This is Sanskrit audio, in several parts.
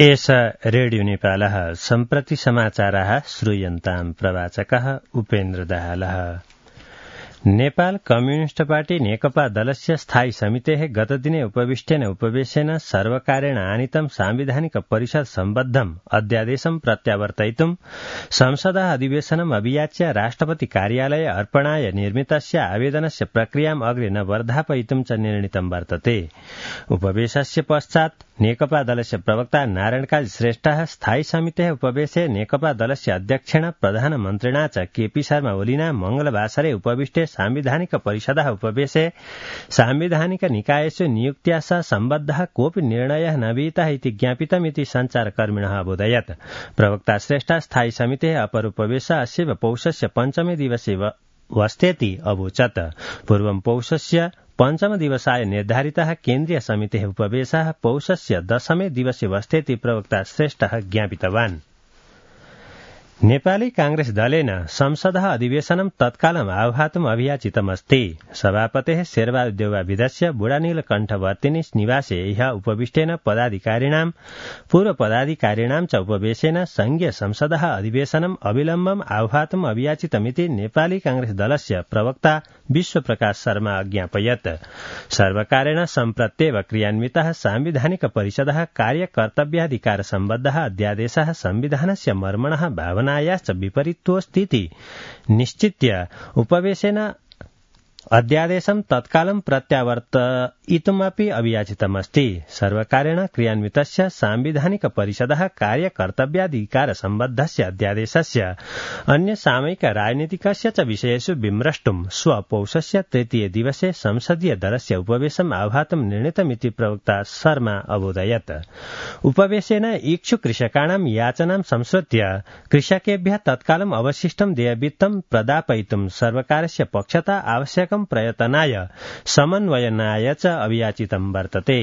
एष रेडियो नेपालः सम्प्रति समाचाराः श्रूयन्ताम् प्रवाचकः उपेन्द्र दाहालः। नेपाल कम्युनिस्ट पार्टी नेकपा दलस्य स्थायी समितेः गतदिने उपविष्टेन उपवेशेन सर्वकारेण आनीतं सांविधानिक परिषद सम्बद्धम् अध्यादेशं प्रत्यावर्तयितुं संसदः अधिवेशनम् अभियाच्य राष्ट्रपति कार्यालये अर्पणाय निर्मितस्य आवेदनस्य प्रक्रियाम् अग्रे न वर्धापयितुं च निर्णीतं वर्तते। उपवेशस्य पश्चात् नेकपा दलस्य प्रवक्ता नारायणकाजी श्रेष्ठः स्थायी समितेः उपवेशे नेकपा दलस्य अध्यक्षेण प्रधानमन्त्रिणा च केपी शर्मा ओलीना मंगलवासरे उपविष्टे सांविधानिक परिषदः उपवेशे सांविधानिक निकायेषु नियुक्त्या सह सम्बद्धः कोऽपि निर्णयः न विहितः इति ज्ञापितमिति सञ्चारकर्मिणः अबोधयत्। प्रवक्ता श्रेष्ठः स्थायी समितेः अपर उपवेशः अस्य पौषस्य पञ्चमे दिवसे वस्तेति अवोचत्। पूर्वं पौषस्य पञ्चम दिवसाय निर्धारितः केन्द्रीय समितेः उपवेशः पौषस्य दशमे दिवसे वस्तेति प्रवक्ता श्रेष्ठः ज्ञापितवान्। नेपाली कांग्रेस दलेन संसदः अधिवेशनं तत्कालम् आह्वातुम् अभियाचितमस्ति। सभापतेः शेरबहादुर देउवाविधस्य बुढानीलकण्ठवर्तिनी निवासे ह्यः उपविष्टेन पदाधिकारिणां पूर्व पदाधिकारिणां च उपवेशेन संघीय संसदः अधिवेशनम् अविलम्बम् आह्वातुम् अभियाचितमिति नेपाली कांग्रेस दलस्य प्रवक्ता विश्वप्रकाश शर्मा अज्ञापयत्। सर्वकारेण सम्प्रत्येव क्रियान्वितः सांविधानिक परिषदः कार्यकर्तव्याधिकार सम्बद्धः अध्यादेशः संविधानस्य मर्मणः भावनायाश्च विपरीतोऽस्तीति निश्चित्य उपवेशेन अध्यादेशं तत्कालं प्रत्यावर्तयितुमपि अभियाचितमस्ति। सर्वकारेण क्रियान्वितस्य सांविधानिक परिषदः कार्यकर्तव्याधिकार सम्बद्धस्य अध्यादेशस्य अन्य सामयिक राजनीतिकस्य च विषयेषु विमृष्टुं स्वपौषस्य तृतीये दिवसे संसदीय दलस्य उपवेशम् आह्वातुं निर्णीतमिति प्रवक्ता शर्मा अबोधयत्। उपवेशेन इच्छुक कृषकाणां याचनां संश्रुत्य कृषकेभ्यः तत्कालम् अवशिष्टं देयवित्तं प्रदापयितुं सर्वकारस्य पक्षतः आवश्यकं प्रयत्नाय समन्वयनाय च अभियाचितं वर्तते।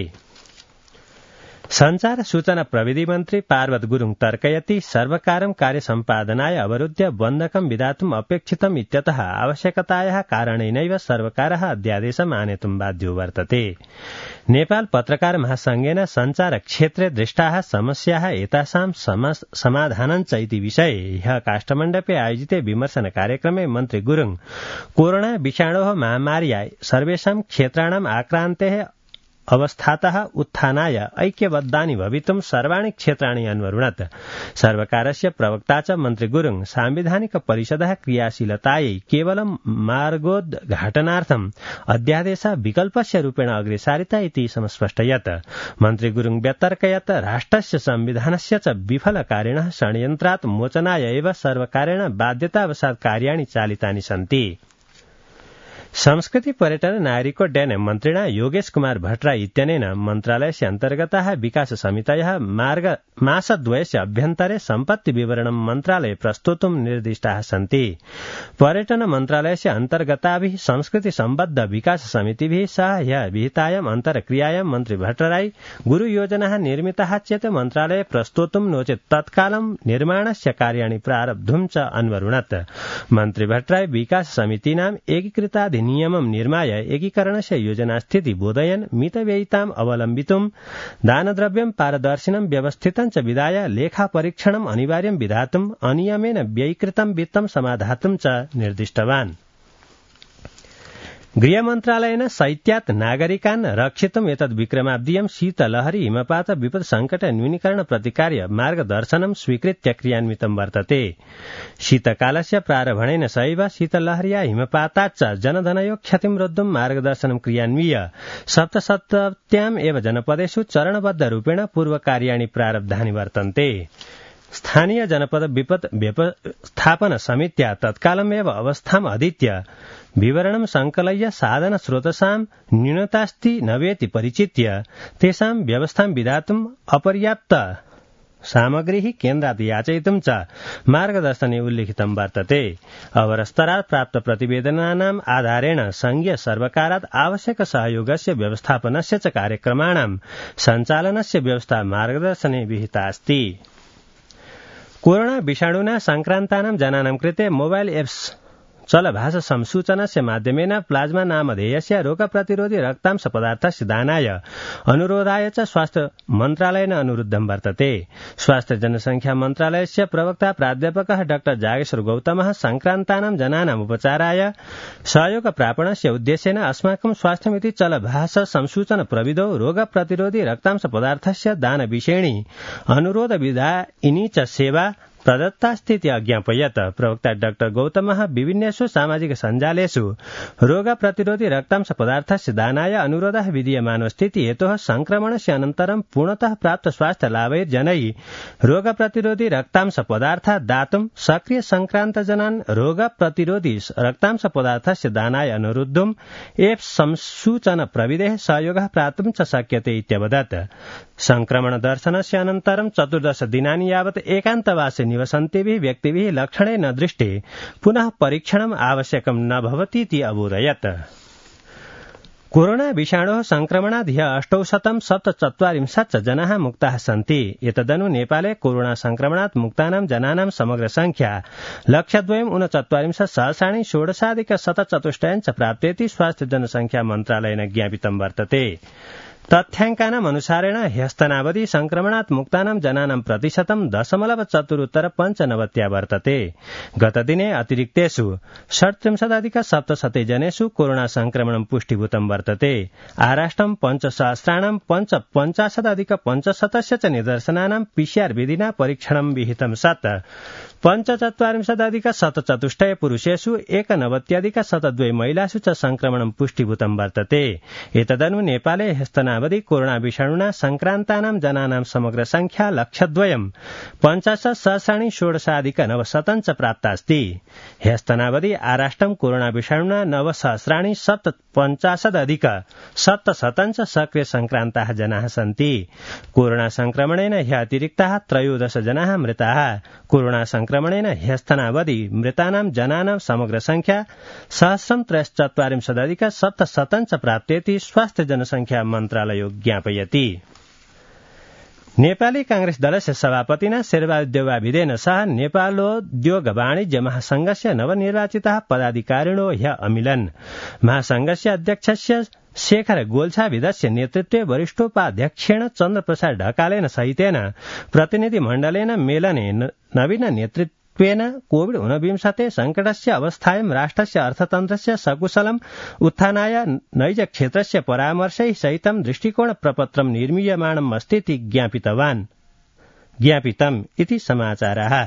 संचार सूचना प्रविधि मन्त्री पार्वत गुरुङ तर्कयति सर्वकारं कार्यसम्पादनाय अवरुद्ध्य बन्धकं विधातुम् अपेक्षितम् इत्यतः आवश्यकतायाः कारणेनैव सर्वकारः अध्यादेशम् आनेतुं बाध्यो वर्तते। नेपाल पत्रकार महासंघेन संचार क्षेत्रे दृष्टाः समस्याः एतासां समाधानञ्च इति विषये ह्यः काष्ठमण्डपे आयोजिते विमर्शन कार्यक्रमे मन्त्री गुरुङ कोरोना विषाणोः महामार्या सर्वेषां क्षेत्राणाम् आक्रान्तेः अवस्थातः उत्थानाय ऐक्यबद्धानि भवितुं सर्वाणि क्षेत्राणि अन्वरुणत्। सर्वकारस्य प्रवक्ता च मन्त्री गुरुङ सांविधानिक परिषदः क्रियाशीलतायै केवलं मार्गोद्घाटनार्थम् अध्यादेशः विकल्पस्य रूपेण अग्रे सारिता इति समस्पष्टयत्। मन्त्री गुरुङ व्यतर्कयत् राष्ट्रस्य संविधानस्य च विफलकारिणः षड्यन्त्रात् मोचनाय एव सर्वकारेण बाध्यतावशात् कार्याणि चालितानि सन्ति। संस्कृति पर्यटन नागरिकोड्डयन मन्त्रिणा योगेश कुमार भट्टराई इत्यनेन मन्त्रालयस्य अन्तर्गताः विकास समितयः मासद्वयस्य अभ्यन्तरे सम्पत्ति विवरणं मन्त्रालये प्रस्तोतुं निर्दिष्टाः सन्ति। पर्यटन मन्त्रालयस्य अन्तर्गताभिः संस्कृति सम्बद्ध विकास समितिभिः सह ह्यः विहितायाम् अन्तर्क्रियायां मन्त्री भट्टराई गुरुयोजनाः निर्मिताः चेत् मन्त्रालये प्रस्तोतुं नो चेत् तत्कालं निर्माणस्य कार्याणि प्रारब्धुं च अन्वरुणत्। मन्त्री भट्टराई विकास समितीनाम् एकीकृताधि नियमं निर्माय एकीकरणस्य योजना स्थिति बोधयन् मितव्ययिताम् अवलम्बितुं दानद्रव्यं पारदर्शिनं व्यवस्थितं च विधाय लेखा परीक्षणम् अनिवार्यं विधातुम् अनियमेन व्ययीकृतं वित्तं समाधातुं च निर्दिष्टवान्। गृहमन्त्रालयेन शैत्यात् नागरिकान् रक्षितुम् एतद् विक्रमाब्दीयं शीतलहरी हिमपात विपद संकट न्यूनीकरण प्रतिकार्य मार्गदर्शनं स्वीकृत्य क्रियान्वितं वर्तते। शीतकालस्य प्रारम्भेन सैव शीतलहर्या हिमपाताच्च जनधनयो क्षतिं रोद्धुं मार्गदर्शनं क्रियान्वीय 77 एव जनपदेषु चरणबद्ध रूपेण पूर्वकार्याणि प्रारब्धानि वर्तन्ते। स्थानीय जनपद विपद व्यवस्थापन समित्या तत्कालमेव अवस्थाम् अधीत्य विवरणं संकलय्य साधन स्रोतसां न्यूनतास्ति नवेति परिचित्य तेषां व्यवस्थां विधातुम् अपर्याप्त सामग्रीः केन्द्रात् याचयितुं च मार्गदर्शने उल्लिखितं वर्तते। अवरस्तरात् प्राप्त प्रतिवेदनानाम् आधारेण संघीय सर्वकारात् आवश्यक सहयोगस्य व्यवस्थापनस्य च कार्यक्रमाणां सञ्चालनस्य व्यवस्था मार्गदर्शने विहिता अस्ति। कोरोना विषाणुना संक्रान्तानां जनानां कृते मोबाइल एप्स चलभाष संसूचनस्य माध्यमेन प्लाज्मा नामधेयस्य रोगप्रतिरोधी रक्तांश पदार्थस्य दानाय अनुरोधाय च स्वास्थ्य मन्त्रालयेन अनुरुद्धं वर्तते। स्वास्थ्य जनसंख्या मन्त्रालयस्य प्रवक्ता प्राध्यापकः डाक्टर जागेश्वर गौतमः संक्रान्तानां जनानाम् उपचाराय सहयोग प्रापणस्य उद्देश्येन अस्माकं स्वास्थ्यमिति चलभाष संसूचन प्रविधौ रोगप्रतिरोधी रक्तांश पदार्थस्य दानविषयिणी अनुरोध विधायिनी च सेवा प्रदत्तास्तीति अज्ञापयत्। प्रवक्ता डाक्टर गौतमः विभिन्नेषु सामाजिक सञ्जालेषु रोग प्रतिरोधी रक्तांश पदार्थस्य दानाय अनुरोधः विधीयमानोऽस्तीति हेतोः संक्रमणस्य अनन्तरं पूर्णतः प्राप्त स्वास्थ्य लाभैः जनैः रोग प्रतिरोधी रक्तांश पदार्थ दातुं सक्रिय संक्रान्त जनान् रोग प्रतिरोधी रक्तांश पदार्थस्य दानाय अनुरुद्धुम् एप् संसूचन प्रविधेः सहयोगः प्राप्तुं च शक्यते इत्यवदत्। संक्रमण दर्शनस्य अनन्तरं 14 दिनानि यावत् एकान्तवासे निवसन्तिभिः व्यक्तिभिः लक्षणे न दृष्टे पुनः परीक्षणम् आवश्यकं न भवतीति अबोधयत्। कोरोना विषाणोः संक्रमणात् ह्यः 847 जनाः मुक्ताः सन्ति। एतदनु नेपाले कोरोना संक्रमणात् मुक्तानां जनानां समग्र संख्या 1,49,16,164 प्राप्तेति स्वास्थ्य जनसंख्या मन्त्रालयेन ज्ञापितं वर्तते। तथ्याङ्कानाम् अनुसारेण ह्यस्तनावधि संक्रमणात् मुक्तानां जनानां प्रतिशतं 0.495 वर्तते। गतदिने अतिरिक्तेषु 37,700 जनेषु कोरोना संक्रमणं पुष्टिभूतं वर्तते। आराष्ट्रं 5,50,550 च निदर्शनानां PCR विधिना परीक्षणं विहितं सत् 45,704 पुरुषेषु 91,102 महिलासु च संक्रमणं पुष्टिभूतं वर्तते। एतदनु नेपाले ह्यस्तनावधि कोरोना विषाणुना संक्रान्तानां जनानां समग्र संख्या 1,50,16,900 च प्राप्तास्ति। ह्यस्तनावधि आराष्ट्रं कोरोना विषाणुना 9,750,700 च सक्रिय संक्रान्ताः जनाः सन्ति। कोरोना संक्रमणेन ह्य अतिरिक्ताः 13 जनाः मृताः। कोरोना संक्रमणेन ह्यस्तनावधि मृतानां जनानां समग्र संख्या 1,043,700 च प्राप्तेति स्वास्थ्य जनसंख्या मन्त्रालयो ज्ञापयति। नेपाली कांग्रेस दलस्य सभापतिना शेरबहादुर देउवाभिदेन सह नेपालोद्योग वाणिज्य महासंघस्य नवनिर्वाचिताः पदाधिकारिणो ह्यः अमिलन्। महासंघस्य अध्यक्षस्य शेखर गोल्छाभिदस्य नेतृत्वे वरिष्ठोपाध्यक्षेण चन्द्रप्रसाद ढकालेन सहितेन प्रतिनिधिमण्डलेन मेलने नवीन नेतृत्वेन कोविड-19 संकटस्य अवस्थायां राष्ट्रस्य अर्थतन्त्रस्य सकुशलम् उत्थानाय नैजक्षेत्रस्य परामर्शैः सहितं दृष्टिकोण प्रपत्रं निर्मीयमाणम् अस्तीति ज्ञापितम् इति समाचारः।